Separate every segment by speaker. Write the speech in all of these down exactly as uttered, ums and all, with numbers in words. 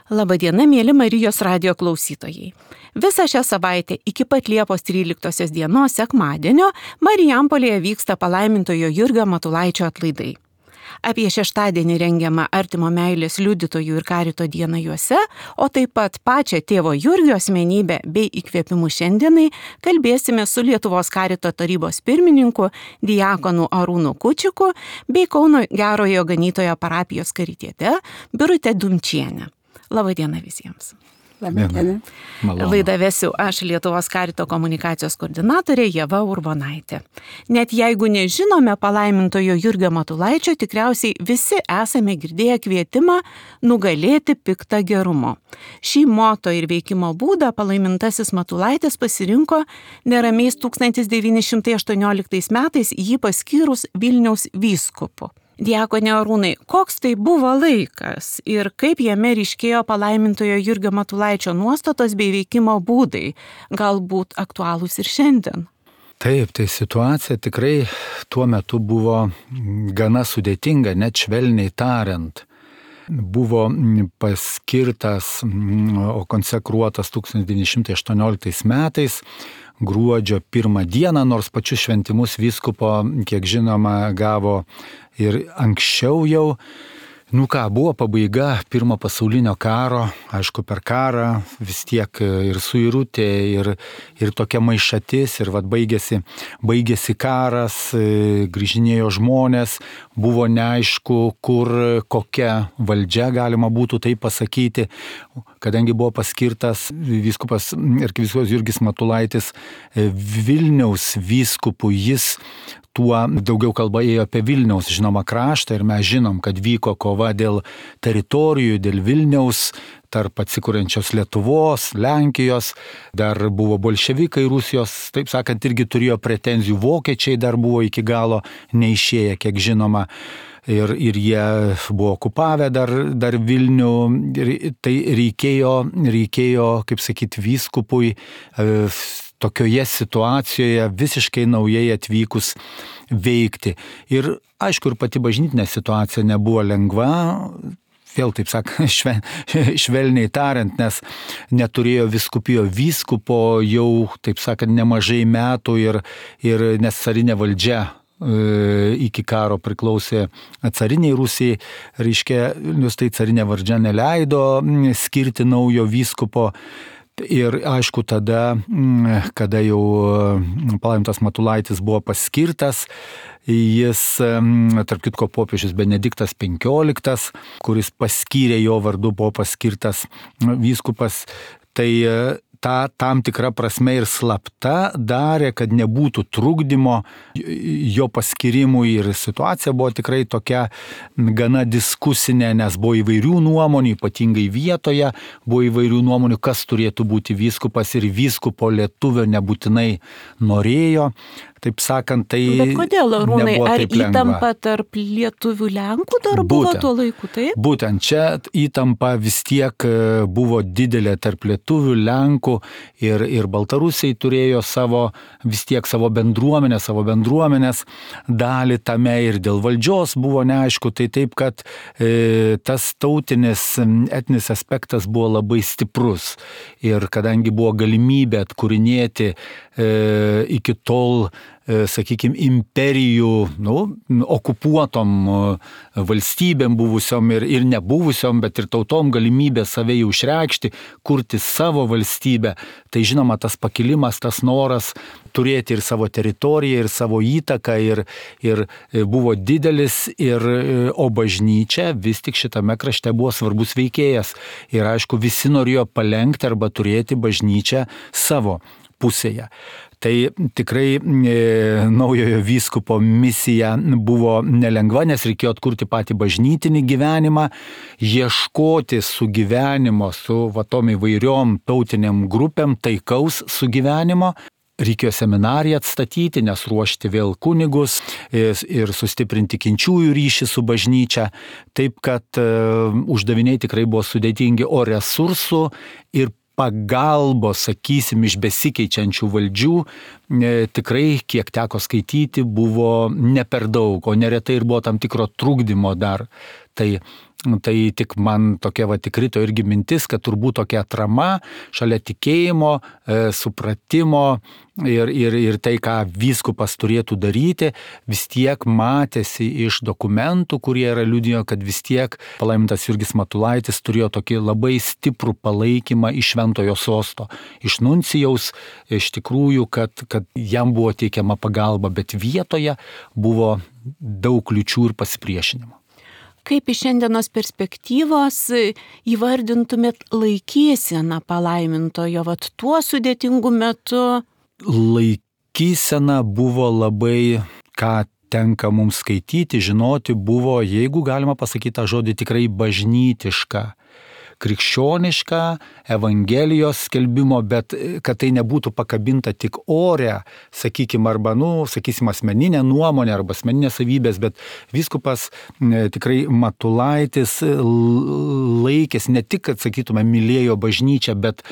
Speaker 1: Labadiena, mėly Marijos radijo klausytojai. Visą šią savaitę iki pat Liepos tryliktosios dienos sekmadienio Marijampolėje vyksta palaimintojo Jurgio Matulaičio atlaidai. Apie šeštadienį rengiamą artimo meilės liudytojų ir karito dieną juose, o taip pat pačią tėvo Jurgio asmenybę bei įkvėpimų šiandienai kalbėsime su Lietuvos karito tarybos pirmininku diakonu Arūnu Kučiku bei Kauno Gerojo Ganytojo parapijos karitiete Birute Dumčiene. Labadiena visiems.
Speaker 2: Labadiena.
Speaker 1: Laidą vesiu aš, Lietuvos karito komunikacijos koordinatorė Ieva Urbonaitė. Net jeigu nežinome palaimintojo Jurgio Matulaičio, tikriausiai visi esame girdėję kvietimą nugalėti piktą gerumu. Šį moto ir veikimo būdą palaimintasis Matulaitis pasirinko neramiais tūkstantis devyni šimtai aštuonioliktais metais jį paskyrus Vilniaus vyskupu. Diakone Arūnai, koks tai buvo laikas ir kaip jame ryškėjo palaimintojo Jurgio Matulaičio nuostatos bei veikimo būdai, galbūt aktualūs ir šiandien?
Speaker 2: Taip, tai situacija tikrai tuo metu buvo gana sudėtinga, net švelniai tariant. Buvo paskirtas, o konsekruotas tūkstantis devyni šimtai aštuonioliktais metais gruodžio pirmą dieną, nors pačius šventimus vyskupo, kiek žinoma, gavo ir anksčiau jau. Nu ką, buvo pabaiga pirmo pasaulinio karo, aišku, per karą vis tiek ir suirutė, ir, ir tokia maišatis, ir vat baigėsi, baigėsi karas, grįžinėjo žmonės, buvo neaišku, kur kokia valdžia, galima būtų tai pasakyti, kadangi buvo paskirtas vyskupas arkivyskupas Jurgis Matulaitis Vilniaus vyskupu, jis tuo daugiau kalba ėjo apie Vilniaus, žinoma, kraštą ir mes žinom, kad vyko kova dėl teritorijų, dėl Vilniaus, tarp atsikuriančios Lietuvos, Lenkijos, dar buvo bolševikai Rusijos, taip sakant, irgi turėjo pretenzijų, vokiečiai dar buvo iki galo neišėję, kiek žinoma. Ir, ir jie buvo okupavę dar, dar Vilnių, ir tai reikėjo, reikėjo, kaip sakyti, vyskupui e, tokioje situacijoje visiškai naujai atvykus veikti. Ir aišku, ir pati bažnytinė situacija nebuvo lengva, vėl taip sakant, šve, švelniai tariant, nes neturėjo vyskupijo vyskupo jau, taip sakant, nemažai metų ir, ir nes carinė valdžia iki karo priklausė cariniai Rusijai, reiškia, nes tai carinė valdžia neleido skirti naujo vyskupo. Ir aišku, tada, kada jau palaimintas Matulaitis buvo paskirtas, jis, tarp kitko, popiežius Benediktas penkioliktas, kuris paskyrė jo vardu, buvo paskirtas vyskupas, tai ta tam tikra prasme ir slapta darė, kad nebūtų trukdymo jo paskirimui, ir situacija buvo tikrai tokia gana diskusinė, nes buvo įvairių nuomonių, ypatingai vietoje buvo įvairių nuomonių, kas turėtų būti vyskupas, ir vyskupo lietuvio nebūtinai norėjo. Taip sakant, tai
Speaker 1: Bet kodėl, Arūnai, ar
Speaker 2: taip lengva.
Speaker 1: Įtampa tarp lietuvių Lenkų dar buvo
Speaker 2: Būtent.
Speaker 1: tuo laiku, taip?
Speaker 2: Būtent čia įtampa vis tiek buvo didelė tarp lietuvių, Lenkų, ir, ir Baltarusiai turėjo savo, vis tiek savo bendruomenę, savo bendruomenės dalį tame, ir dėl valdžios buvo neaišku, tai taip, kad e, tas tautinis, etninis aspektas buvo labai stiprus, ir kadangi buvo galimybė atkūrinėti e, iki tol, sakykime, imperijų, nu, okupuotom valstybėm buvusiom ir, ir nebuvusiom, bet ir tautom galimybė save jau išreikšti, kurti savo valstybę. Tai žinoma, tas pakilimas, tas noras turėti ir savo teritoriją, ir savo įtaką, ir, ir buvo didelis, ir, o bažnyčia vis tik šitame krašte buvo svarbus veikėjas. Ir aišku, visi norėjo palenkti arba turėti bažnyčią savo pusėje. Tai tikrai e, naujojo vyskupo misija buvo nelengva, nes reikėjo atkurti patį bažnytinį gyvenimą, ieškoti sugyvenimo su va tom įvairiom tautiniam grupėm, taikaus sugyvenimo. Reikėjo seminariją atstatyti, nes ruošti vėl kunigus ir sustiprinti tikinčiųjų ryšį su bažnyčia. Taip, kad uh, uždaviniai tikrai buvo sudėtingi, o resursų ir pagalbos, sakysim, iš besikeičiančių valdžių e, tikrai, kiek teko skaityti, buvo ne per daug, o neretai ir buvo tam tikro trukdymo dar. Tai tai tik man tokia va tikrito irgi mintis, kad turbūt tokia atrama šalia tikėjimo, e, supratimo ir, ir, ir tai, ką vyskupas turėtų daryti, vis tiek matėsi iš dokumentų, kurie yra liudijo, kad vis tiek palaimintas Jurgis Matulaitis turėjo tokį labai stiprų palaikymą iš Šventojo sosto, iš nuncijaus, iš tikrųjų, kad, kad jam buvo teikiama pagalba, bet vietoje buvo daug kliučių ir pasipriešinimo.
Speaker 1: Kaip iš šiandienos perspektyvos įvardintumėt laikyseną palaimintojo, vat tuo sudėtingu metu?
Speaker 2: Laikysena buvo labai, ką tenka mums skaityti, žinoti, buvo, jeigu galima pasakyti tą žodį, tikrai bažnytiška, krikščioniška, Evangelijos skelbimo, bet kad tai nebūtų pakabinta tik ore, sakykime, arba, nu, sakysim, asmeninė nuomonė arba asmeninės savybės, bet vyskupas e, tikrai Matulaitis laikės ne tik, kad, sakytume, mylėjo bažnyčią, bet,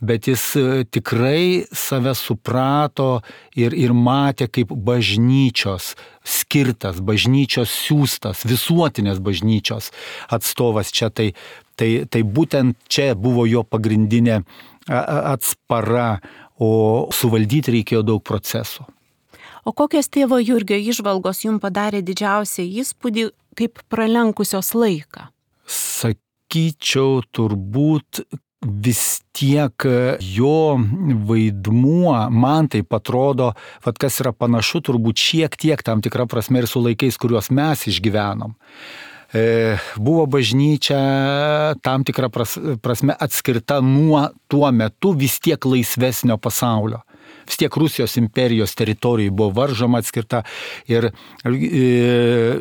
Speaker 2: bet jis tikrai save suprato ir, ir matė kaip bažnyčios skirtas, bažnyčios siųstas, visuotinės bažnyčios atstovas čia. Tai Tai, tai būtent čia buvo jo pagrindinė atspara, o suvaldyti reikėjo daug procesų.
Speaker 1: O kokias tėvo Jurgio įžvalgos jums padarė didžiausią įspūdį kaip pralenkusios laiką?
Speaker 2: Sakyčiau, turbūt vis tiek jo vaidmuo, man tai atrodo, vat kas yra panašu, turbūt šiek tiek tam tikra prasme ir su laikais, kuriuos mes išgyvenom. Buvo bažnyčia tam tikrą prasme atskirta nuo tuo metu vis tiek laisvesnio pasaulio. Vis tiek Rusijos imperijos teritorijai buvo varžoma, atskirta ir e,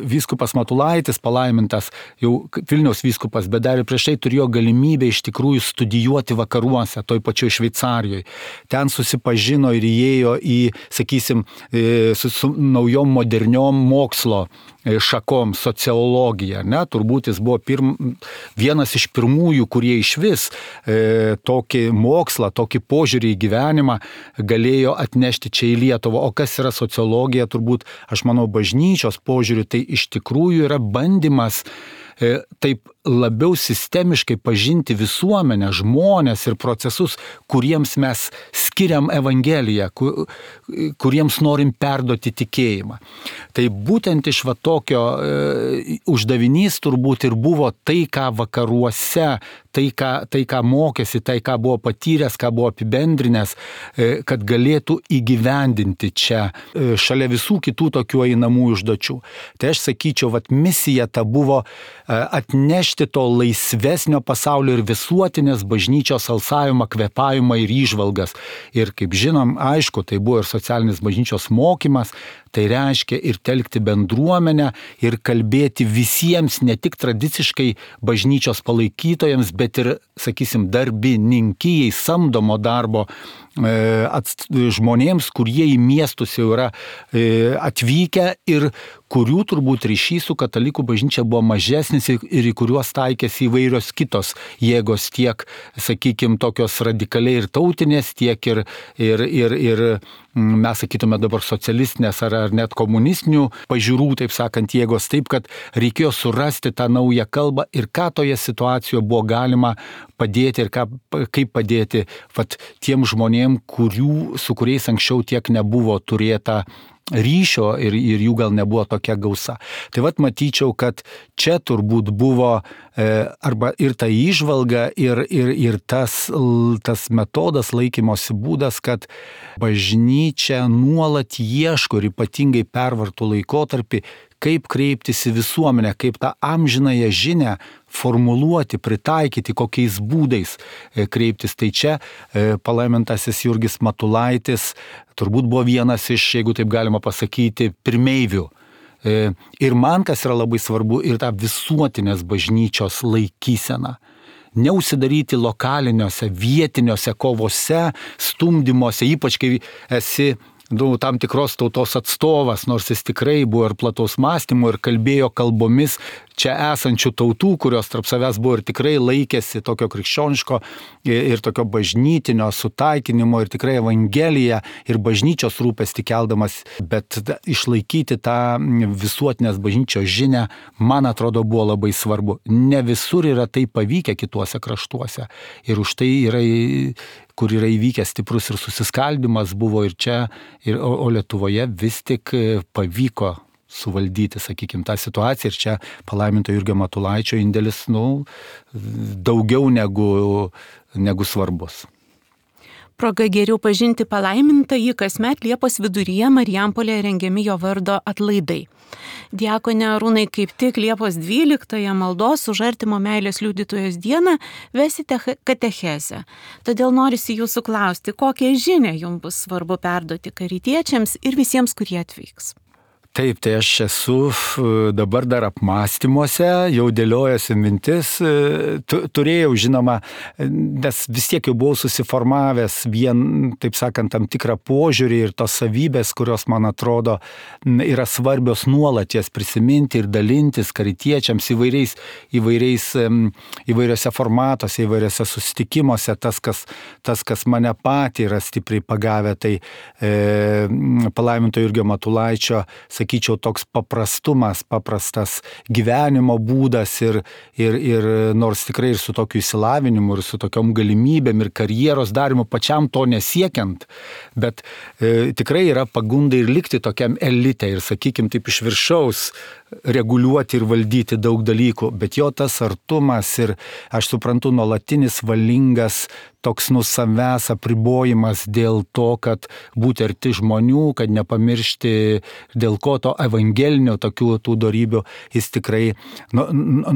Speaker 2: vyskupas Matulaitis palaimintas, jau Vilniaus vyskupas, bet dar ir prieš tai turėjo galimybę iš tikrųjų studijuoti vakaruose, toj pačioj Šveicarijoje. Ten susipažino ir įėjo į, sakysim, e, su, su naujom moderniom mokslo šakom, sociologija, ne, turbūt jis buvo pirm, vienas iš pirmųjų, kurie iš vis e, tokį mokslą, tokį požiūrį į gyvenimą galėjo atnešti čia į Lietuvą. O kas yra sociologija, turbūt, aš manau, bažnyčios požiūrių, tai iš tikrųjų yra bandymas e, taip labiau sistemiškai pažinti visuomenę, žmonės ir procesus, kuriems mes skiriam Evangeliją, kur, kuriems norim perduoti tikėjimą. Tai būtent iš va tokio e, uždavinys turbūt ir buvo tai, ką vakaruose, tai ką, tai, ką mokėsi, tai, ką buvo patyręs, ką buvo apibendrinęs, e, kad galėtų įgyvendinti čia, e, šalia visų kitų tokių einamų užduočių. Tai aš sakyčiau, vat misija ta buvo e, atnešti to laisvesnio pasaulio ir visuotinės bažnyčios alsavimą, kvėpavimą ir įžvalgas. Ir kaip žinom, aišku, tai buvo ir socialinis bažnyčios mokymas, tai reiškia ir telkti bendruomenę ir kalbėti visiems, ne tik tradiciškai bažnyčios palaikytojams, bet ir, sakysim, darbininkijai, samdomo darbo e, ats, žmonėms, kurie į miestus jau yra e, atvykę ir kurių turbūt ryšys su katalikų bažnyčia buvo mažesnis ir, ir į kuriuos taikėsi įvairios kitos jėgos, tiek, sakykime, tokios radikaliai ir tautinės, tiek ir, ir, ir, ir mes sakytume dabar socialistinės ar, ar net komunistinių pažiūrų, taip sakant, jėgos, taip, kad reikėjo surasti tą naują kalbą ir ką toje situacijoje buvo galima padėti ir ką, kaip padėti vat, tiem žmonėm, kurių, su kuriais anksčiau tiek nebuvo turėta ryšio ir, ir jų gal nebuvo tokia gausa. Tai vat matyčiau, kad čia turbūt buvo e, arba ir ta įžvalga ir, ir, ir tas, tas metodas, laikymosi būdas, kad bažnyčia nuolat ieško ir ypatingai pervartų laikotarpį, kaip kreiptis į visuomenę, kaip tą amžinąją žinią formuluoti, pritaikyti, kokiais būdais kreiptis. Tai čia palaimintasis Jurgis Matulaitis turbūt buvo vienas iš, jeigu taip galima pasakyti, pirmeivių. Ir man, kas yra labai svarbu, ir tą visuotinės bažnyčios laikyseną. Neužsidaryti lokaliniuose, vietiniuose kovose, stumdymuose, ypač kai esi nu, tam tikros tautos atstovas, nors jis tikrai buvo ir plataus mąstymo ir kalbėjo kalbomis čia esančių tautų, kurios tarp savęs buvo ir tikrai laikėsi tokio krikščioniško ir tokio bažnytinio sutaikinimo ir tikrai evangeliją ir bažnyčios rūpestį keldamas, bet išlaikyti tą visuotinės bažnyčios žinią, man atrodo, buvo labai svarbu. Ne visur yra tai pavykę kituose kraštuose ir už tai yra, kur yra įvykęs stiprus ir susiskaldimas buvo ir čia, ir, o, o Lietuvoje vis tik pavyko suvaldyti, sakykime, tą situaciją ir čia palaiminto Jurgio Matulaičio indėlis, nu, daugiau negu, negu svarbus.
Speaker 1: Proga geriau pažinti palaimintąjį kasmet Liepos viduryje Marijampolėje rengiami jo vardo atlaidai. Diakone Arūnai, kaip tik Liepos dvyliktąją maldos už artimo meilės liudytojos dieną vesite katechezę. Todėl norisi jūsų klausti, kokią žinią jums bus svarbu perduoti karitiečiams ir visiems, kurie atvyks.
Speaker 2: Taip, tai aš esu dabar dar apmąstymuose, jau dėliojasi mintis, turėjau, žinoma, nes vis tiek jau buvau susiformavęs vien, taip sakant, tam tikrą požiūrį ir tos savybės, kurios, man atrodo, yra svarbios nuolat jas prisiminti ir dalintis karitiečiams įvairiais, įvairiais, įvairiose formatuose, įvairiose susitikimuose, tas, kas, tas, kas mane patį yra stipriai pagavę, tai e, palaiminto Jurgio Matulaičio, sakyčiau, toks paprastumas, paprastas gyvenimo būdas ir, ir, ir nors tikrai ir su tokiu įsilavinimu, ir su tokiom galimybėm, ir karjeros darimu pačiam to nesiekiant, bet e, tikrai yra pagunda ir likti tokiam elite ir, sakykime, taip iš viršaus reguliuoti ir valdyti daug dalykų, bet jo tas artumas ir, aš suprantu, nuolatinis valingas toks nu savęs apribojimas dėl to, kad būti arti žmonių, kad nepamiršti dėl ko to evangelinio tokių tų dorybių, jis tikrai nu,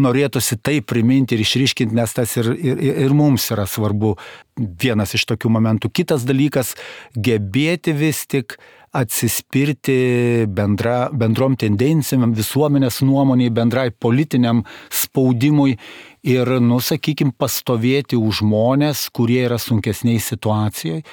Speaker 2: norėtųsi tai priminti ir išryškinti, nes tas ir, ir, ir mums yra svarbu. Vienas iš tokių momentų. Kitas dalykas, gebėti vis tik atsispirti bendra, bendrom tendencijom, visuomenės nuomoniai, bendrai politiniam spaudimui ir, nu, sakykime, pastovėti už žmonės, kurie yra sunkesniai situacijoje.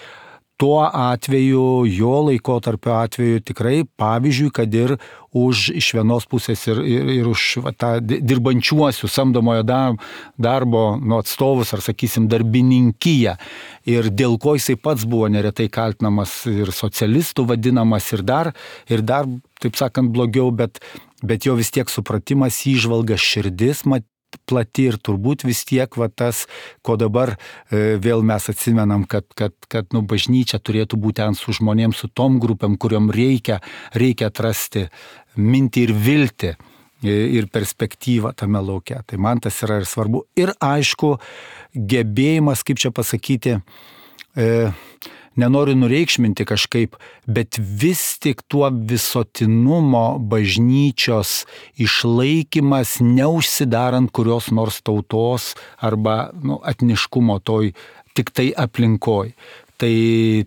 Speaker 2: Tuo atveju, jo laikotarpio atveju tikrai pavyzdžiui, kad ir už iš vienos pusės ir, ir, ir už va, tą dirbančiuosius samdomojo darbo nu, atstovus ar, sakysim, darbininkiją. Ir dėl ko jisai pats buvo neretai kaltinamas ir socialistų vadinamas ir dar, ir dar, taip sakant, blogiau, bet, bet jo vis tiek supratimas, įžvalga, širdis, mat, plati ir turbūt vis tiek va, tas, ko dabar e, vėl mes atsimenam, kad, kad, kad nu, bažnyčia turėtų būti ten su žmonėms, su tom grupėm, kuriuom reikia, reikia atrasti mintį ir viltį ir perspektyvą tame lauke. Tai man tas yra ir svarbu. Ir aišku, gebėjimas, kaip čia pasakyti, e, nenoriu nureikšminti kažkaip, bet vis tik tuo visuotinumo bažnyčios išlaikymas, neužsidarant kurios nors tautos arba nu, etniškumo toj tik tai aplinkoj. Tai,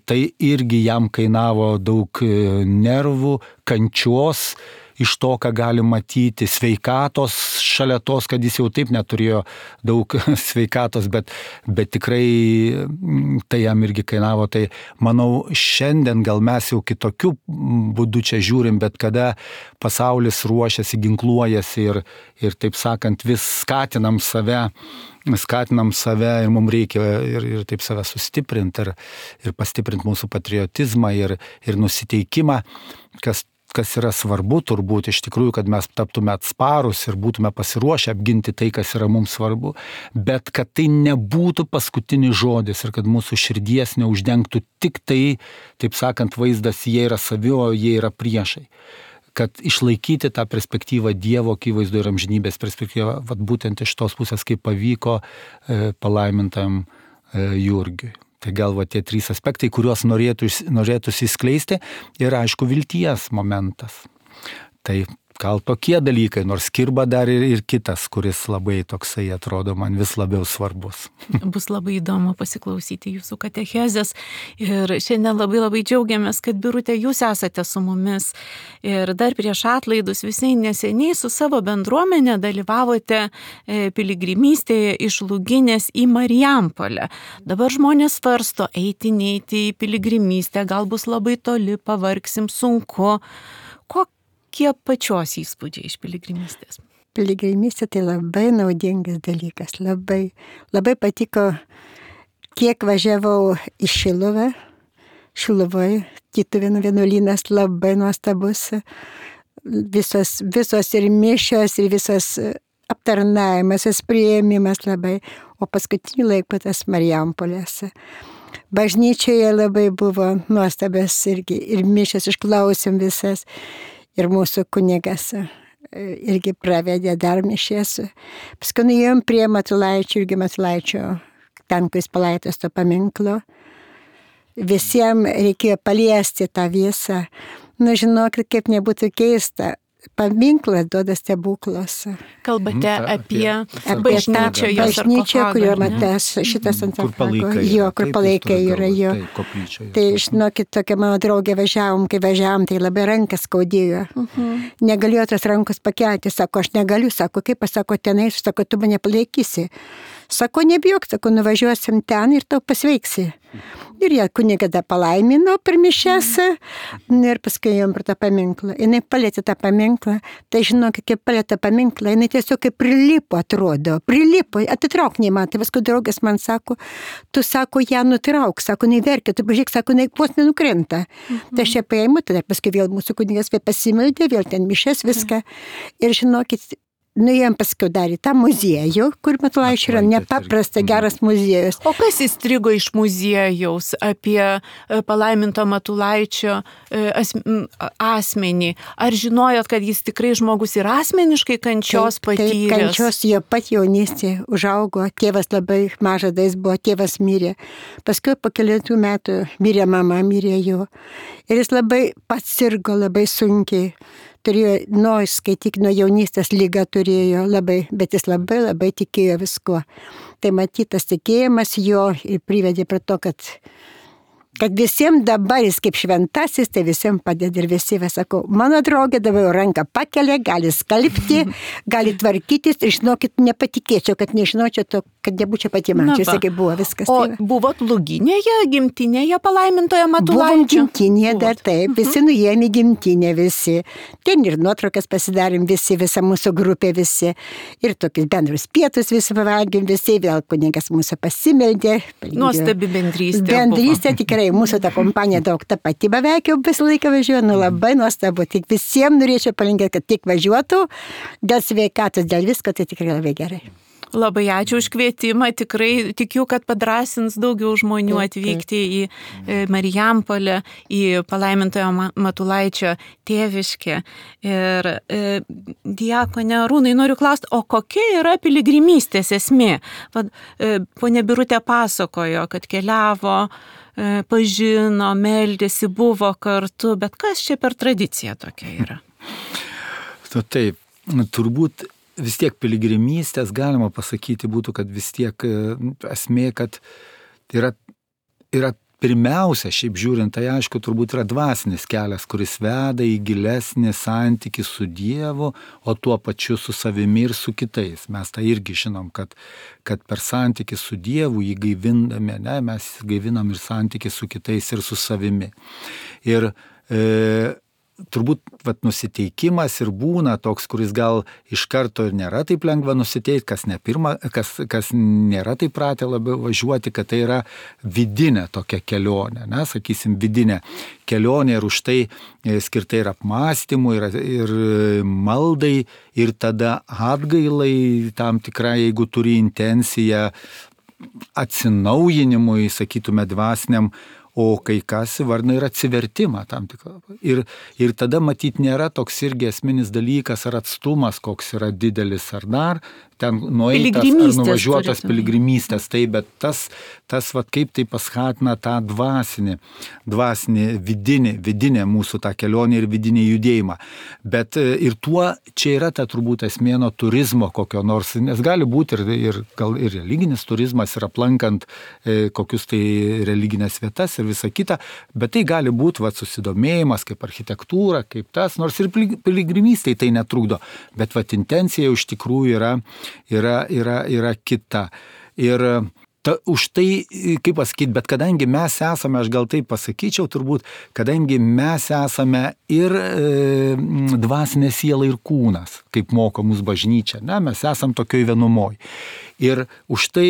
Speaker 2: tai irgi jam kainavo daug nervų, kančios, iš to, ką gali matyti, sveikatos šalia tos, kad jis jau taip neturėjo daug sveikatos, bet, bet tikrai tai jam irgi kainavo. Tai manau, šiandien gal mes jau kitokių būdų čia žiūrim, bet kada pasaulis ruošiasi, ginkluojasi ir, ir taip sakant, vis skatinam save, skatinam save ir mums reikia ir, ir taip save sustiprinti ir, ir pastiprinti mūsų patriotizmą ir, ir nusiteikimą, kas kas yra svarbu turbūt iš tikrųjų, kad mes taptume atsparus ir būtume pasiruošę apginti tai, kas yra mums svarbu, bet kad tai nebūtų paskutinis žodis ir kad mūsų širdies neuždengtų tik tai, taip sakant, vaizdas, jie yra savi, o jie yra priešai. Kad išlaikyti tą perspektyvą Dievo akivaizdoje ir amžinybės perspektyvą, vat būtent iš tos pusės, kaip pavyko e, palaimintam e, Jurgiui. Tai gal va tie trys aspektai, kuriuos norėtų, norėtųsi įskleisti ir aišku vilties momentas. Tai gal tokie dalykai, nors kirba dar ir, ir kitas, kuris labai toksai atrodo man vis labiau svarbus.
Speaker 1: Bus labai įdomu pasiklausyti jūsų katechezės ir šiandien labai labai džiaugiamės, kad Birute jūs esate su mumis ir dar prieš atlaidus visai neseniai su savo bendruomenė dalyvavote piligrimystėje iš Luginės į Marijampolę. Dabar žmonės svarsto eiti, neiti į piligrimystę, gal bus labai toli, pavargsim, sunku. Kokie pačios įspūdžiai iš piligrimystės?
Speaker 3: piligrimystė tai labai naudingas dalykas, labai, labai patiko, kiek važiavau į Šiluvą, Šiluvoje, Tytuvėnų vienuolynas labai nuostabus, visos, visos ir mišios, ir visos aptarnavimas, visas priėmimas labai, o paskutiniu laiku tas Marijampolės. Bažnyčioje labai buvo nuostabės irgi, ir mišios išklausėm visas, ir mūsų kunigas irgi pravedė dar mišės. Paskui nuėjom prie Matulaičio, irgi Matulaičio, ten, kai jis palaitas to paminklo. Visiems reikėjo paliesti tą visą. Nu, žinokit, kaip nebūtų keista, paminklas duoda stebuklus.
Speaker 1: Kalbate
Speaker 2: Mhm,
Speaker 1: apie,
Speaker 3: Apie
Speaker 1: bažnyčią,
Speaker 3: tą bažnyčią, kurio matęs šitas ant
Speaker 2: Kur palaikai.
Speaker 3: Jo, kur palaikai yra jo.
Speaker 2: Tai koplyčioje.
Speaker 3: Tai, žinokit, tokia mano draugė važiavom, kai važiavom, tai labai rankas skaudėjo.
Speaker 1: Mhm.
Speaker 3: Negalėjo tos rankos pakelti, sako, aš negaliu, sako, kaip aš sako, tenai, sako, tu mane palaikysi. Sako, nebijok, sako, nuvažiuosim ten ir tau pasveiksi. Ir jie kunigą palaimino per mišias, ir paskui jom per tą paminklą. Jis palėtė tą paminklą, tai žinok, kaip palėtė paminklą, jis tiesiog kaip prilipo atrodo, prilipo, atitrauk nei man. Tai paskui draugas man sako, tu sako, ją nutrauk, sako, neverkia, tu pažiūrėk, sako, ne, vos nenukrenta. Mhm. Tai aš ją paėmiau, tada paskui vėl mūsų kunigas vėl pasimildė, vėl ten mišias, viską. Ir žinokit, nuėjom paskui dar į tą muziejų, kur Matulaičio yra nepaprastai geras muziejus.
Speaker 1: O kas įstrigo iš muziejaus apie palaiminto Matulaičio asmenį? Ar žinojot, kad jis tikrai žmogus ir asmeniškai kančios patyręs?
Speaker 3: Taip, kančios jo pat jaunystė užaugo, tėvas labai mažas dais buvo, tėvas mirė. Paskui po kelių metų mirė mama, mirė jo. Ir jis labai pats sirgo, labai sunkiai. Turėjo, nu, skaityk, nuo jaunystės lygą turėjo labai, bet jis labai labai tikėjo visko. Tai matytas tikėjimas jo ir privedė prie to, kad kad visiems dabar jis kaip šventasis, tai visiems padeda ir visi, vis sakau, mano draugė dabar jau ranką pakelia, gali skalbti, gali tvarkytis ir žinokit, nepatikėčiau, kad nežinočiau to, kad nebūčiau pati mančiusi, kaip buvo viskas.
Speaker 1: O
Speaker 3: tai
Speaker 1: buvot Luginėje, gimtinėje palaimintoje Matulaičio?
Speaker 3: Buvom gimtinėje dar taip, visi nuėjome į gimtinę visi. Ten ir nuotraukas pasidarėm visi, visa mūsų grupė visi. Ir tokius bendrus pietus visi pavalgėm visi, vėl kunigas mūsų pasimeldė.
Speaker 1: Nuostabi bendrystė.
Speaker 3: Bendrystė tikrai. Mūsų ta kompanija daug ta pati beveik jau visą laiką važiuoja, nu labai nuostabu. Tik visiems norėčiau palinkėti, kad tik važiuotų, dėl sveikatos, dėl visko, tai tikrai labai gerai.
Speaker 1: Labai ačiū už kvietimą, tikrai tikiu, kad padrąsins daugiau žmonių atvykti į Marijampolę, į palaimintojo Matulaičio tėviškę. Ir e, diakone Arūnai, noriu klausti, o kokia yra piligrimystės esmė? Vad, e, ponė Birutė pasakojo, kad keliavo, e, pažino, meldėsi, buvo kartu, bet kas čia per tradicija tokia yra?
Speaker 2: Nu, taip, turbūt vis tiek piligrimystės galima pasakyti būtų, kad vis tiek esmė, kad yra, yra pirmiausia, šiaip žiūrint, tai aišku, turbūt yra dvasinis kelias, kuris veda į gilesnį santykį su Dievu, o tuo pačiu su savimi ir su kitais. Mes tai irgi žinom, kad, kad per santykį su Dievu jį gaivindami, ne, mes gaivinam ir santykį su kitais ir su savimi. Ir e, turbūt vat, nusiteikimas ir būna toks, kuris gal iš karto ir nėra taip lengva nusiteikti, kas, ne pirma, kas, kas nėra taip pratę labiau važiuoti, kad tai yra vidinė tokia kelionė, ne, sakysim, vidinė kelionė ir už tai skirta ir apmąstymui, ir, ir maldai, ir tada atgailai tam tikrai, jeigu turi intenciją atsinaujinimui, sakytume, dvasiniam, o kai kas įvardina ir atsivertimą tam tikrą. Ir, ir tada matyt nėra toks irgi esminis dalykas ar atstumas, koks yra didelis ar dar, ten nueitas ar nuvažiuotas piligrimystės, tai bet tas, tas vat, kaip tai paskatina tą dvasinį, dvasinį vidinį, vidinę mūsų tą kelionę ir vidinį judėjimą. Bet ir tuo čia yra ta turbūt esmė nuo turizmo kokio nors, nes gali būti ir, ir, gal ir religinis turizmas ir aplankant e, kokius tai religinės vietas ir visa kita, bet tai gali būti vat, susidomėjimas kaip architektūra, kaip tas, nors ir piligrimystėj tai netrukdo, bet vat, intencija iš tikrųjų yra, yra, yra, yra kita. Ir ta, už tai, kaip pasakyti, bet kadangi mes esame, aš gal taip pasakyčiau turbūt, kadangi mes esame ir e, dvasinė siela ir kūnas, kaip moko mūsų bažnyčia, ne, mes esame tokioj vienumoj. Ir už tai,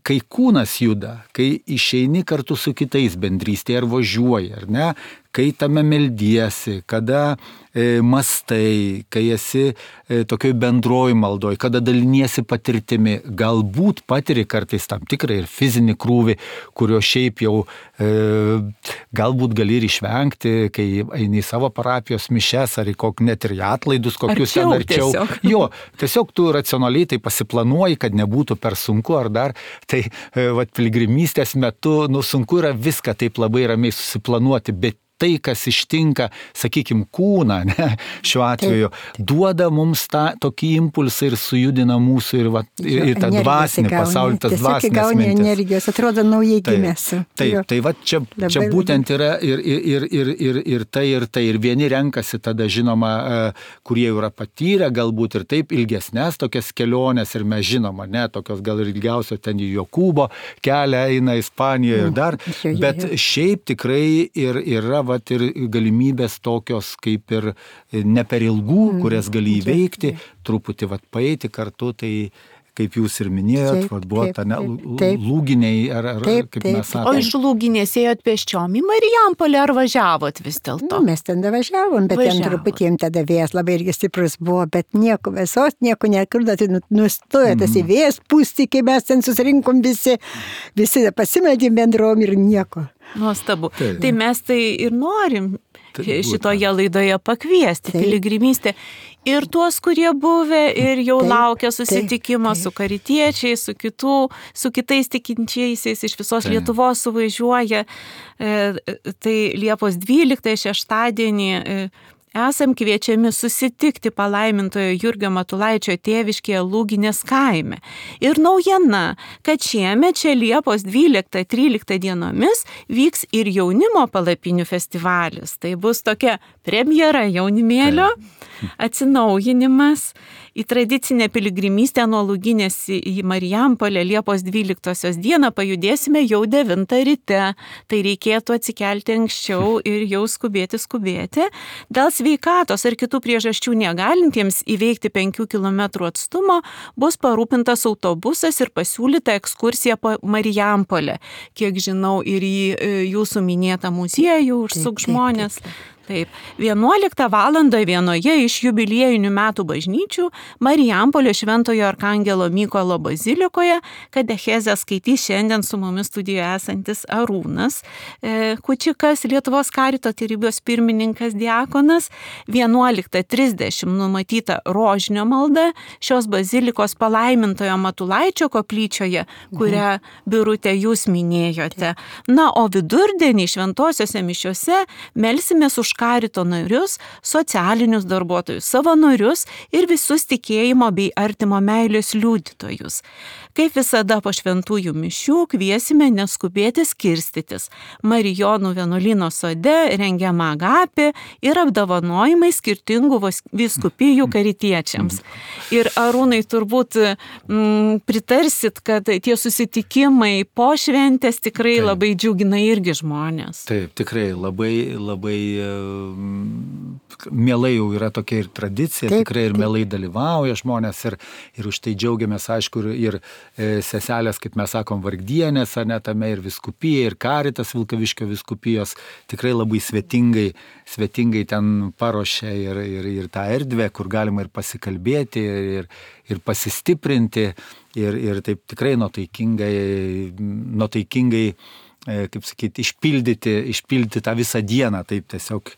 Speaker 2: kai kūnas juda, kai išeini kartu su kitais bendrystėje ar važiuoji, ar ne, kai tame meldiesi, kada e, mastai, kai esi e, tokioj bendroj maldoj, kada daliniesi patirtimi, galbūt patiri kartais tam tikrą ir fizinį krūvį, kurio šiaip jau e, galbūt gali ir išvengti, kai eini į savo parapijos mišes ar į kokį net ir į atlaidus, kokius
Speaker 1: arčiau,
Speaker 2: ten arčiau.
Speaker 1: Tiesiog.
Speaker 2: Jo, tiesiog tu racionaliai tai pasiplanuoji, kad nebūtų per sunku ar dar, tai e, vat, piligrimystės metu, nu, sunku yra viską taip labai ramiai susiplanuoti, bet tai, kas ištinka, sakykime, kūną, ne, šiuo atveju, taip, taip. duoda mums tą tokį impulsą ir sujudina mūsų ir, va, ir, ir tą dvasinį pasaulį, tas dvasinės mintis.
Speaker 3: Energijos, atrodo naujai gimęs.
Speaker 2: Taip, taip, tai va čia, labai, čia būtent yra ir, ir, ir, ir, ir tai, ir tai. Ir vieni renkasi tada, žinoma, kurie jau yra patyrę, galbūt ir taip ilgesnės tokias keliones, ir mes žinoma, ne, tokios gal ir ilgiausio ten į Jokūbo kelią eina Ispanijoje ir dar, mm, bet šiaip tikrai ir yra vat ir galimybės tokios kaip ir ne per ilgų, kurias gali įveikti, truputį vat paeiti kartu, tai kaip jūs ir minėjot, vat buvo ta ne, lūginiai, ar, ar
Speaker 3: taip,
Speaker 2: kaip
Speaker 3: taip.
Speaker 2: mes sakome.
Speaker 1: O iš Lūginės ėjot pėsčiom į Marijampolę ar važiavot vis dėlto?
Speaker 3: Nu, mes ten važiavom, bet
Speaker 1: Važiavot.
Speaker 3: Ten truputį tada vėjas labai irgi stiprus buvo, bet nieko visos, nieko nekurda, tai nustojo tas į vėjas pūsti, kai mes ten susirinkom visi, visi pasimeldėm bendrom ir nieko.
Speaker 1: Nuostabu.
Speaker 2: Taip.
Speaker 1: Tai mes tai ir norim
Speaker 2: Tai
Speaker 1: šitoje laidoje pakviesti,
Speaker 3: Taip.
Speaker 1: piligrimystė. Ir tuos, kurie buvę ir jau
Speaker 3: Taip,
Speaker 1: laukia susitikimo
Speaker 3: taip, taip.
Speaker 1: su karitiečiais, su, kitų, su kitais tikinčiaisiais iš visos
Speaker 2: Taip.
Speaker 1: Lietuvos suvažiuoja. E, tai Liepos dvyliktąją šeštadienį e, esam kviečiami susitikti palaimintojo Jurgio Matulaičio tėviškėje Lūginės kaime. Ir naujiena, kad šiemet čia Liepos dvyliktą tryliktą dienomis vyks ir jaunimo palapinių festivalis. Tai bus tokia premjera jaunimėlio, atsinaujinimas į tradicinę piligrimystę nuo Lūginės į Marijampolę Liepos dvyliktosios dieną pajudėsime jau devintą ryte. Tai reikėtų atsikelti anksčiau ir jau skubėti skubėti. Dėl sveikatos ar kitų priežasčių negalintiems įveikti penkių kilometrų atstumo bus parūpintas autobusas ir pasiūlyta ekskursija po Marijampolę. Kiek žinau, ir į jūsų minėtą muziejų užsuk žmonės. Taip, vienuoliktą valandą vienoje iš jubiliejinių metų bažnyčių Marijampolio Šventojo Arkangelo Mykolo bazilikoje katechezę skaitys šiandien su mumis studijoje esantis Arūnas e, Kučikas, Lietuvos karito tarybos pirmininkas diakonas. vienuoliktą trisdešimt numatyta rožinio malda šios bazilikos palaimintojo Matulaičio koplyčioje, kurią Birute jūs minėjote. Na, o vidurdienį šventosiose mišiose melsimės už karito narius, socialinius darbuotojus, savanorius ir visus tikėjimo bei artimo meilės liudytojus. Kaip visada po šventųjų mišių kviesime neskubėti skirstytis. Marijonų vienuolyno sode rengiama agapė ir apdovanojimai skirtingų vyskupijų karitiečiams. Ir Arūnai, turbūt mm, pritarsit, kad tie susitikimai po šventės tikrai Taip. Labai džiugina irgi žmonės.
Speaker 2: Taip, tikrai labai, labai mielai jau yra tokia ir tradicija, taip, tikrai ir mielai dalyvauja žmonės ir, ir už tai džiaugiamės, aišku, ir, ir e, seselės, kaip mes sakom, vargdienės, ne tame ir viskupija, ir karitas Vilkaviškio viskupijos tikrai labai svetingai, svetingai ten paruošia ir, ir, ir tą erdvę, kur galima ir pasikalbėti, ir, ir pasistiprinti, ir, ir taip tikrai nuotaikingai, nuotaikingai kaip sakyti, išpildyti, išpildyti tą visą dieną, taip tiesiog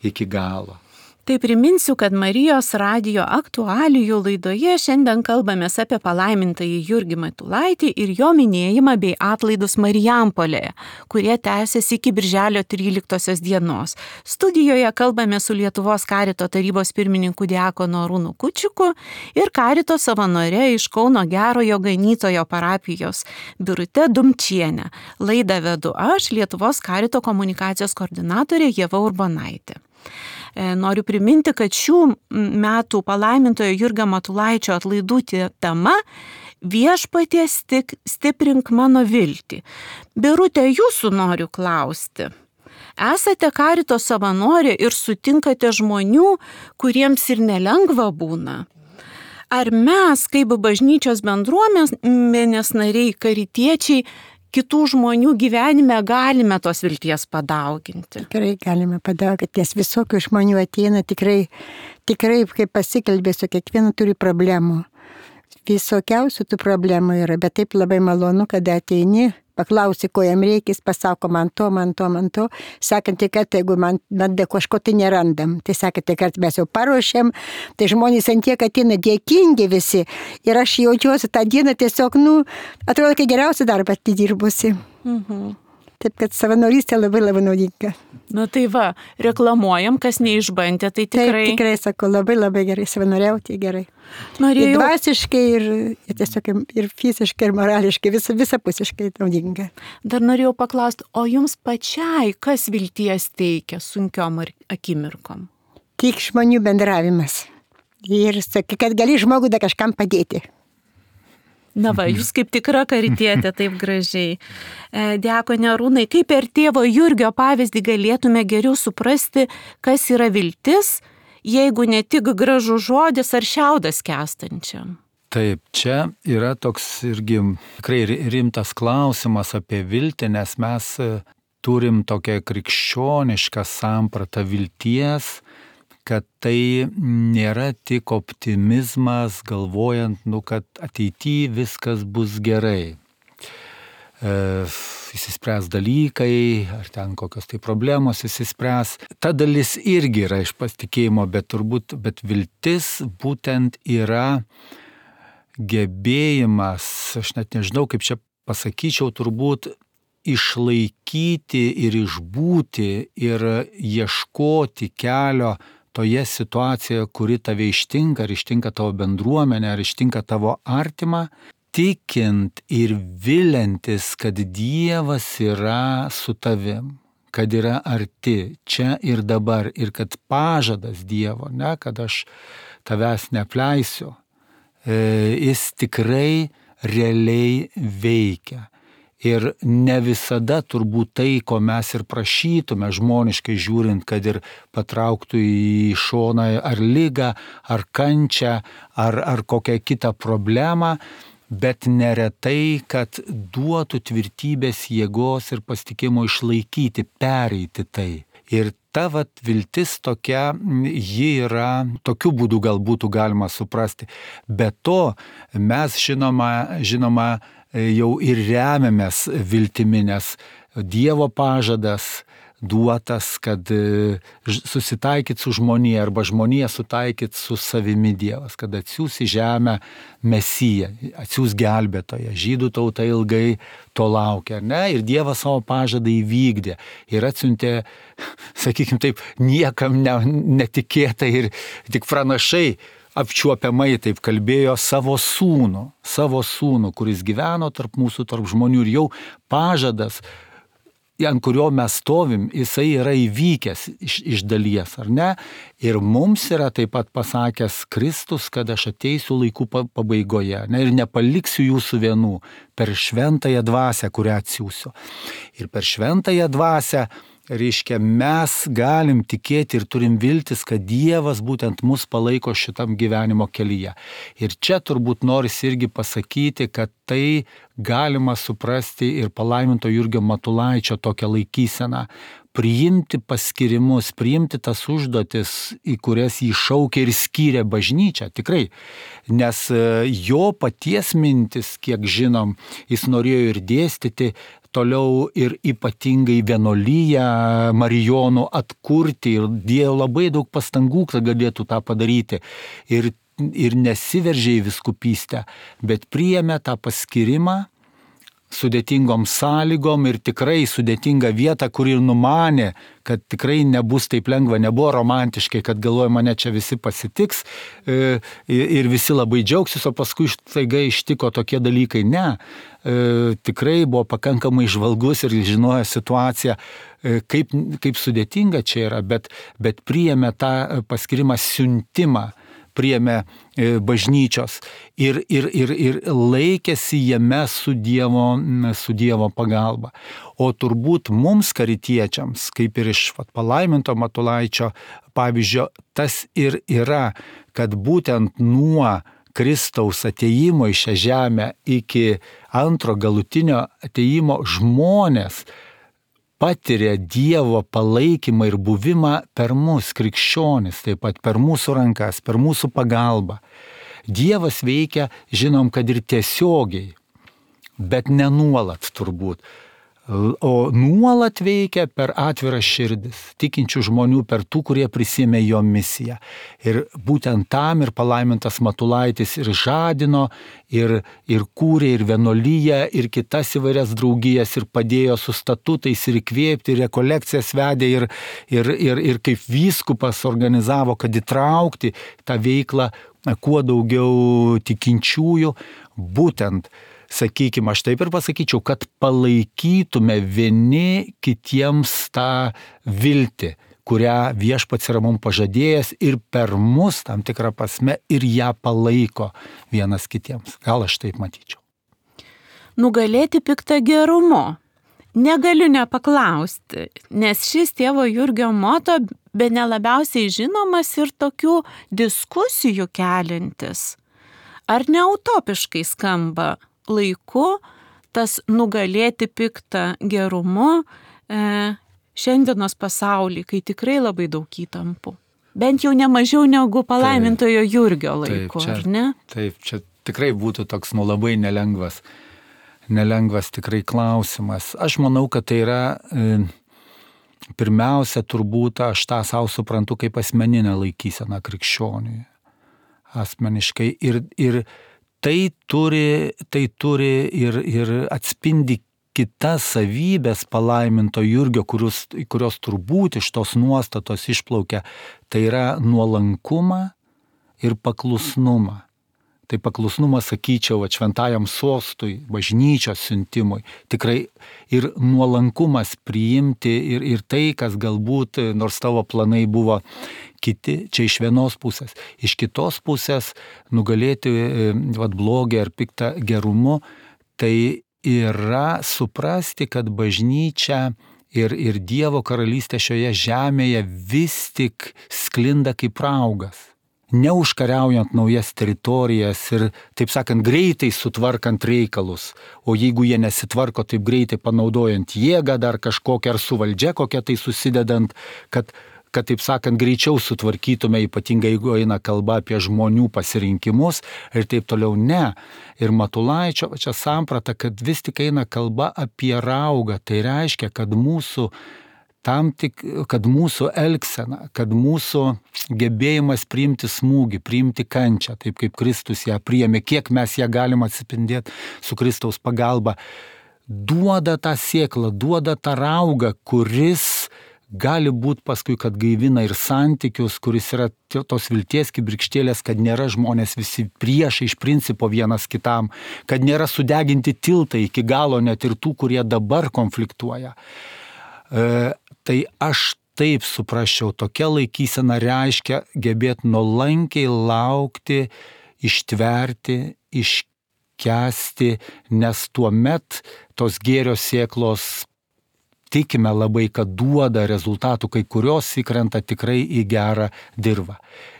Speaker 2: iki galo.
Speaker 1: Tai priminsiu, kad Marijos radijo aktualijų laidoje šiandien kalbamės apie palaimintąjį Jurgį Matulaitį ir jo minėjimą bei atlaidus Marijampolėje, kurie tęsiasi iki birželio tryliktosios dienos. Studijoje kalbame su Lietuvos karito tarybos pirmininku diakonu Arūnu Kučiku ir karito savanore iš Kauno Gerojo Ganytojo parapijos Birute Dumčienė. Laidą vedu aš, Lietuvos karito komunikacijos koordinatorė Ieva Urbonaitė. Noriu priminti, kad šių metų palaimintojo Jurgio Matulaičio atlaidų tema Viešpatie stiprink mano viltį. Birute, jūsų noriu klausti. Esate karito savanorė ir sutinkate žmonių, kuriems ir nelengva būna. Ar mes, kaip bažnyčios bendruomenės nariai, karitiečiai, kitų žmonių gyvenime galime tos vilties padauginti?
Speaker 3: Tikrai galime padauginti, nes visokių žmonių ateina, tikrai, tikrai kaip pasikalbė, su kiekvienu turi problemų. Visokiausių tų problemų yra, bet taip labai malonu, kada ateini, paklausi, ko jam reikės, pasako man to, man to, man to. Sakantį kartą, jeigu man nada kažko tai nerandam, tai sakantį kartą mes jau paruošėm, tai žmonės ant tiek ateina dėkingi visi. Ir aš jaučiuosi tą dieną tiesiog, nu, atrodo, kad geriausią darbą atidirbusi. Mhm. Taip, kad savanorystė labai labai naudinga.
Speaker 1: Na tai va, reklamuojam, kas neišbandė, tai tikrai...
Speaker 3: Taip, tikrai, sakau, labai labai gerai, savanoriauti gerai.
Speaker 1: Norėjau...
Speaker 3: Ir dvasiškai, ir, ir tiesiog ir fiziškai, ir morališkai, vis, visapusiškai naudinga.
Speaker 1: Dar norėjau paklausti, o jums pačiai kas vilties teikia sunkiom akimirkom?
Speaker 3: Tik žmonių bendravimas. Ir sakai, kad gali žmogų da kažkam padėti.
Speaker 1: Na va, jūs kaip tikra karitietė, taip gražiai. Diakone Arūnai, kaip per tėvo Jurgio pavyzdį galėtume geriau suprasti, kas yra viltis, jeigu ne tik gražus žodis ar šiaudas kęstančiam?
Speaker 2: Taip, čia yra toks irgi tikrai rimtas klausimas apie viltį, nes mes turim tokią krikščionišką sampratą vilties, kad tai nėra tik optimizmas, galvojant, nu, kad ateityje viskas bus gerai. E, įsispręs dalykai, ar ten kokios tai problemos įsispręs. Ta dalis irgi yra iš pasitikėjimo, bet turbūt, bet viltis būtent yra gebėjimas, aš net nežinau, kaip čia pasakyčiau, turbūt išlaikyti ir išbūti ir ieškoti kelio toje situacijoje, kuri tave ištinka, ar ištinka tavo bendruomenę, ar ištinka tavo artimą, tikint ir viliantis, kad Dievas yra su tavim, kad yra arti, čia ir dabar, ir kad pažadas Dievo, ne, kad aš tavęs neapleisiu, e, jis tikrai realiai veikia. Ir ne visada turbūt tai, ko mes ir prašytume, žmoniškai žiūrint, kad ir patrauktų į šoną ar ligą, ar kančią, ar, ar kokią kitą problemą, bet neretai, kad duotų tvirtybės, jėgos ir pasitikėjimo išlaikyti, pereiti tai. Ir ta vat viltis tokia, ji yra, tokiu būdu gal būtų galima suprasti. Be to, mes žinoma, žinoma, jau ir remiamės viltimi, nes Dievo pažadas duotas, kad susitaikyt su žmonija arba žmonija sutaikyt su savimi Dievas, kad atsiūs į žemę Mesiją, atsiūs gelbėtoją. Žydų tauta ilgai to laukia, ne? Ir Dievas savo pažadą įvykdė ir atsiuntė, sakykime taip, niekam ne, netikėtai ir tik pranašai apčiuopiamai taip kalbėjo savo sūnų, savo sūnų, kuris gyveno tarp mūsų, tarp žmonių ir jau pažadas, ant kurio mes stovim, jisai yra įvykęs iš, iš dalies, ar ne? Ir mums yra taip pat pasakęs Kristus, kad aš ateisiu laikų pabaigoje, ne? Ir nepaliksiu jūsų vienų per šventąją dvasią, kurią atsiųsiu. Ir per šventąją dvasią, reiškia, mes galim tikėti ir turim viltis, kad Dievas būtent mus palaiko šitam gyvenimo kelyje. Ir čia turbūt norisi irgi pasakyti, kad tai galima suprasti ir palaiminto Jurgio Matulaičio tokią laikyseną. Priimti paskirimus, priimti tas užduotis, į kurias jį šaukė ir skyrė bažnyčia, tikrai. Nes jo paties mintis, kiek žinom, jis norėjo ir dėstyti, toliau ir ypatingai vienuolyją Marijonų atkurti ir dėjo labai daug pastangų, kad galėtų tą padaryti. Ir, ir nesiveržė į vyskupystę, bet priėmė tą paskyrimą sudėtingom sąlygom ir tikrai sudėtinga vieta, kur ir numanė, kad tikrai nebus taip lengva, nebuvo romantiškai, kad galvoja, mane čia visi pasitiks e, ir visi labai džiaugsis, o paskui staiga ištiko tokie dalykai. Ne, e, tikrai buvo pakankamai žvalgus ir žinojo situaciją, e, kaip, kaip sudėtinga čia yra, bet, bet priėmė tą paskirimą siuntimą, priėmė bažnyčios ir, ir, ir, ir laikėsi jame su Dievo, su Dievo pagalba. O turbūt mums karitiečiams, kaip ir iš vat, palaiminto Matulaičio pavyzdžio, tas ir yra, kad būtent nuo Kristaus ateimo į šią žemę iki antro galutinio ateimo žmonės patiria Dievo palaikymą ir buvimą per mus, krikščionis, taip pat per mūsų rankas, per mūsų pagalbą. Dievas veikia, žinom, kad ir tiesiogiai, bet ne nuolat turbūt. O nuolat veikia per atviras širdis, tikinčių žmonių, per tų, kurie prisėmė jo misiją. Ir būtent tam ir palaimintas Matulaitis ir žadino, ir, ir kūrė, ir vienuolyje, ir kitas įvairias draugijas, ir padėjo su statutais, ir įkvėpti, ir rekolekcijas vedė, ir, ir, ir, ir kaip vyskupas organizavo, kad įtraukti tą veiklą kuo daugiau tikinčiųjų, būtent sakykime, aš taip ir pasakyčiau, kad palaikytume vieni kitiems tą viltį, kurią viešpats yra mums pažadėjęs ir per mus tam tikrą prasme ir ją palaiko vienas kitiems. Gal aš taip matyčiau.
Speaker 1: Nugalėti piktą gerumu. Negaliu nepaklausti, nes šis tėvo Jurgio moto bene labiausiai žinomas ir tokių diskusijų kelintis. Ar neutopiškai skamba laiku tas nugalėti piktą gerumu e, šiandienos pasaulį, kai tikrai labai daug įtampų. Bent jau ne mažiau negu palaimintojo taip, Jurgio laiku, taip, čia, ar ne?
Speaker 2: Taip, čia tikrai būtų toks nu labai nelengvas, nelengvas tikrai klausimas. Aš manau, kad tai yra e, pirmiausia turbūt aš tą savo suprantu kaip asmeninę laikyseną krikščioniui. Asmeniškai ir, ir Tai turi, tai turi ir, ir atspindi kitas savybės palaiminto Jurgio, kurios, kurios turbūt iš tos nuostatos išplaukia. Tai yra nuolankumą ir paklusnumą. Tai paklusnumas, sakyčiau, šventajam sostui, bažnyčios siuntimui. Tikrai ir nuolankumas priimti ir, ir tai, kas galbūt, nors tavo planai buvo kiti, čia iš vienos pusės. Iš kitos pusės nugalėti vat, blogį ar piktą gerumu, tai yra suprasti, kad bažnyčia ir, ir Dievo karalystė šioje žemėje vis tik sklinda kaip raugas. Neužkariaujant naujas teritorijas ir, taip sakant, greitai sutvarkant reikalus, o jeigu jie nesitvarko taip greitai panaudojant jėgą dar kažkokią ar su valdžia kokią tai susidedant, kad, kad taip sakant, greičiau sutvarkytume, ypatingai jeigu eina kalba apie žmonių pasirinkimus ir taip toliau, ne. Ir Matulaičio čia samprata, kad vis tik eina kalba apie raugą, tai reiškia, kad mūsų tam tik, kad mūsų elgsena, kad mūsų gebėjimas priimti smūgį, priimti kančią, taip kaip Kristus ją priėmė, kiek mes ją galim atspindėti su Kristaus pagalba, duoda tą sėklą, duoda tą raugą, kuris gali būti paskui, kad gaivina ir santykius, kuris yra tos vilties kibirkštėlės, kad nėra žmonės visi priešai iš principo vienas kitam, kad nėra sudeginti tiltai iki galo net ir tų, kurie dabar konfliktuoja. E, tai aš taip suprasčiau, tokia laikysena reiškia gebėti nuolankiai laukti, ištverti, iškęsti, nes tuomet tos gėrio sėklos tikime labai, kad duoda rezultatų, kai kurios įkrenta tikrai į gerą dirvą.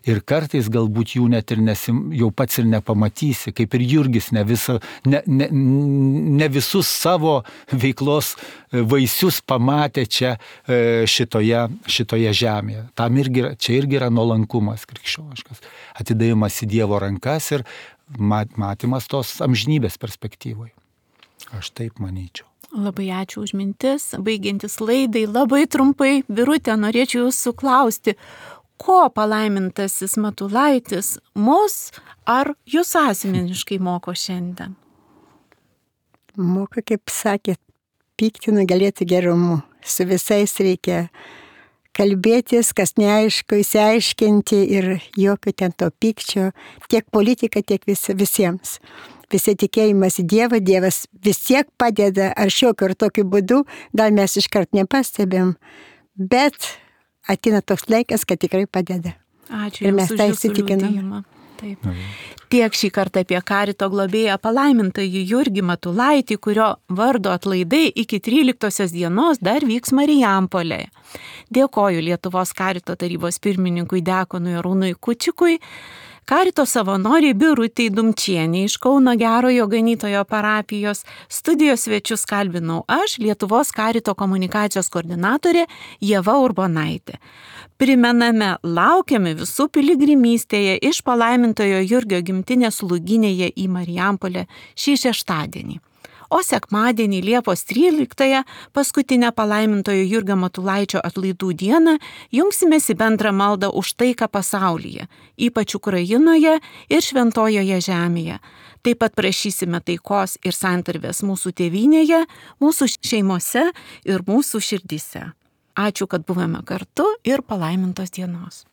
Speaker 2: Ir kartais galbūt jų net ir nesim, jau pats ir nepamatysi, kaip ir Jurgis ne, visa, ne, ne, ne visus savo veiklos vaisius pamatė čia šitoje, šitoje žemėje. Tam irgi, čia irgi yra nuolankumas krikščioniškas, atidavimas į Dievo rankas ir matymas tos amžinybės perspektyvoje. Aš taip manyčiau.
Speaker 1: Labai ačiū už mintis. Baigiantis laidai, labai trumpai, Birutė, norėčiau jūsų klausti, ko palaimintasis Matulaitis mus ar jūs asmeniškai moko šiandien?
Speaker 3: moka, kaip sakėt, pykti nugalėti gerumu. Su visais reikia kalbėtis, kas neaišku, įsiaiškinti ir jokio ten to pykčio, tiek politika, tiek vis, visiems. Visi tikėjimas į Dievą, Dievas vis tiek padeda, ar šiokiu ar tokiu būdu, gal mes iškart nepastebėm, bet ateina toks laikas, kad tikrai padeda.
Speaker 1: Ačiū
Speaker 3: ir mes
Speaker 1: Jums
Speaker 3: tą
Speaker 1: už Jūsų
Speaker 3: įsitikinam.
Speaker 1: liudijimą. Taip. Tiek šį kartą apie Karito globėją palaimintąjį Jurgį Matulaitį, kurio vardo atlaidai iki tryliktosios dienos dar vyks Marijampolėje. Dėkoju Lietuvos Karito tarybos pirmininkui diakonui Arūnui Kučikui, Karito savanoriai Birutei Dumčienei iš Kauno Gerojo Ganytojo parapijos. Studijos svečius kalbinau aš, Lietuvos Karito komunikacijos koordinatorė Ieva Urbonaitė. Primename, laukiame visų piligrimystėje iš palaimintojo Jurgio gimtinės Lūginėje į Marijampolę šį šeštadienį. O sekmadienį Liepos tryliktąją, paskutinę palaimintojo Jurgio Matulaičio atlaidų dieną, jungsimės į bendrą maldą už taiką pasaulyje, ypač Ukrainoje ir Šventojoje žemėje. Taip pat prašysime taikos ir santarvės mūsų tėvynėje, mūsų šeimose ir mūsų širdyse. Ačiū, kad buvome kartu ir palaimintos dienos.